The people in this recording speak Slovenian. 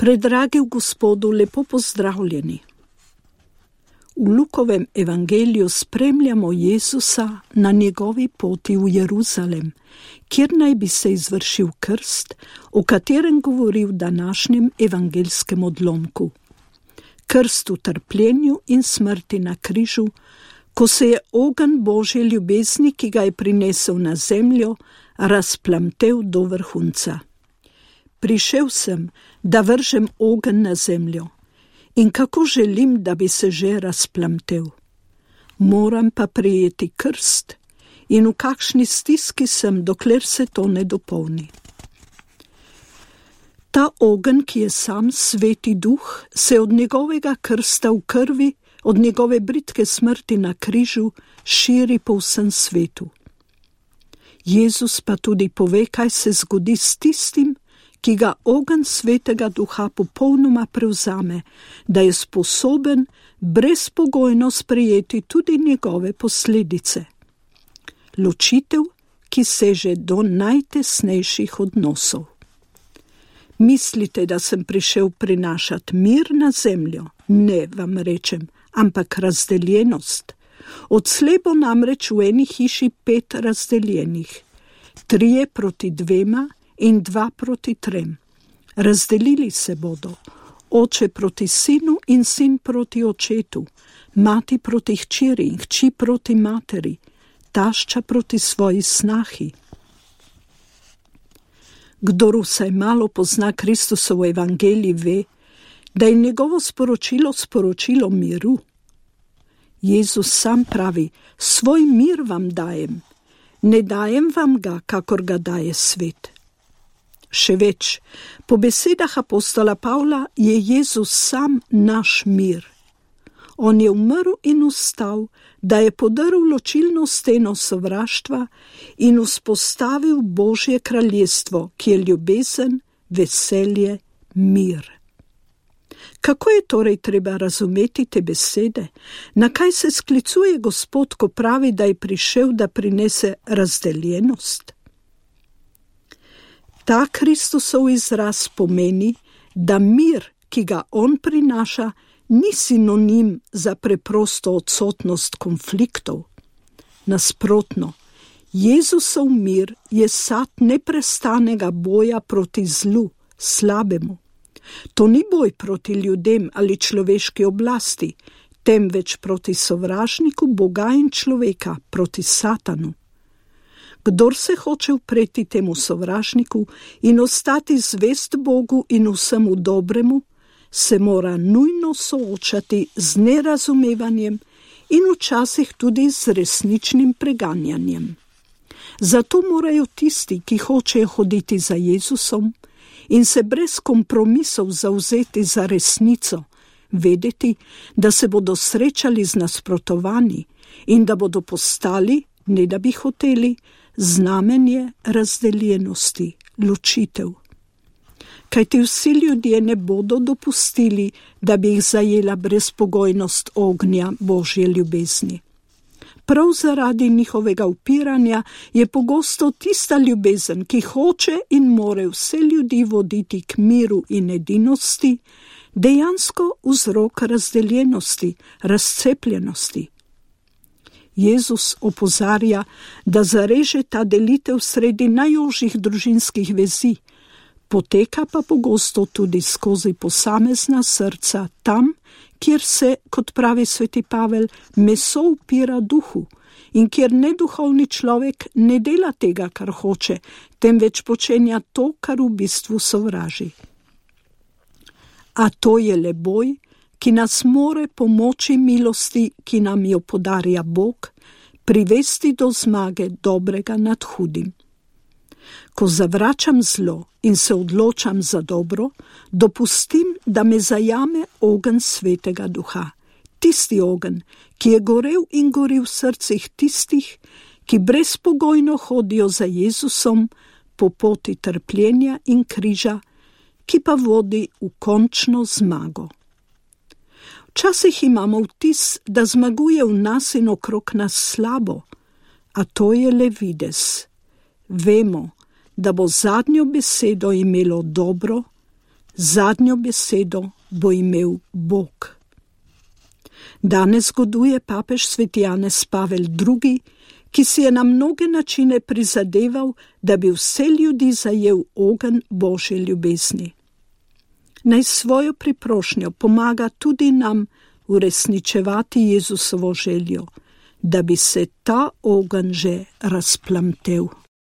Predragi v Gospodu, lepo pozdravljeni. V Lukovem evangeliju spremljamo Jezusa na njegovi poti v Jeruzalem, kjer naj bi se izvršil krst, o katerem govori v današnjem evangelskem odlomku. Krst v trpljenju in smrti na križu, ko se je ogenj Božje ljubezni, ki ga je prinesel na zemljo, razplamtel do vrhunca. Prišel sem, da vržem ogenj na zemljo. In kako želim, da bi se že razplamtel. Moram pa prejeti krst in v kakšni stiski sem, dokler se to ne dopolni. Ta ogenj, ki je sam Sveti Duh, se od njegovega krsta v krvi, od njegove bridke smrti na križu, širi po vsem svetu. Jezus pa tudi pove, kaj se zgodi s tistim, ki ga ogenj Svetega Duha popolnoma prevzame, da je sposoben brezpogojno sprejeti tudi njegove posledice. Ločitev, ki seže do najtesnejših odnosov. Mislite, da sem prišel prinašati mir na zemljo? Ne, vam rečem, ampak razdeljenost. Odslej bo namreč v eni hiši 5 razdeljenih, 3 proti 2 in 2 proti 3. Razdelili se bodo, oče proti sinu in sin proti očetu, mati proti hčeri in hči proti materi, tašča proti svoji snahi. Kdor vsaj malo pozna Kristusov evangelij, ve, da je njegovo sporočilo miru. Jezus sam pravi, svoj mir vam dajem, ne dajem vam ga, kakor ga daje svet. Še več, po besedah apostola Pavla je Jezus sam naš mir. On je umrl in vstal, da je podrl ločilno steno sovraštva in vzpostavil Božje kraljestvo, ki je ljubezen, veselje, mir. Kako je torej treba razumeti te besede? Na kaj se sklicuje Gospod, ko pravi, da je prišel, da prinese razdeljenost? Ta Kristusov izraz pomeni, da mir, ki ga on prinaša, ni sinonim za preprosto odsotnost konfliktov. Nasprotno, Jezusov mir je sad neprestanega boja proti zlu, slabemu. To ni boj proti ljudem ali človeški oblasti, temveč proti sovražniku Boga in človeka, proti Satanu. Kdor se hoče upreti temu sovražniku in ostati zvest Bogu in vsemu dobremu, se mora nujno soočati z nerazumevanjem in včasih tudi z resničnim preganjanjem. Zato morajo tisti, ki hočejo hoditi za Jezusom in se brez kompromisov zavzeti za resnico, vedeti, da se bodo srečali z nasprotovanji in da bodo postali, ne da bi hoteli, znamenje razdeljenosti, ločitev. Kajti vsi ljudje ne bodo dopustili, da bi jih zajela brezpogojnost ognja Božje ljubezni. Prav zaradi njihovega upiranja je pogosto tista ljubezen, ki hoče in more vse ljudi voditi k miru in edinosti, dejansko vzrok razdeljenosti, razcepljenosti. Jezus opozarja, da zareže ta delitev sredi najožjih družinskih vezi, poteka pa pogosto tudi skozi posamezna srca tam, kjer se, kot pravi sveti Pavel, meso upira duhu in kjer neduhovni človek ne dela tega, kar hoče, temveč počenja to, kar v bistvu sovraži. A to je le boj, ki nas more pomoči milosti, ki nam jo podarja Bog, privesti do zmage dobrega nad hudim. Ko zavračam zlo in se odločam za dobro, dopustim, da me zajame ogenj Svetega Duha. Tisti ogenj, ki je gorel in gori v srcih tistih, ki brezpogojno hodijo za Jezusom po poti trpljenja in križa, ki pa vodi v končno zmago. Včasih imamo vtis, da zmaguje v nas in okrog nas slabo, a to je le videz. Vemo, da bo zadnjo besedo imelo dobro, zadnjo besedo bo imel Bog. Danes goduje papež Sveti Janez Pavel II., ki si je na mnoge načine prizadeval, da bi vse ljudi zajel ogenj Božje ljubezni. Naj svojo priprošnjo pomaga tudi nam uresničevati Jezusovo željo, da bi se ta ogenj že razplamtel.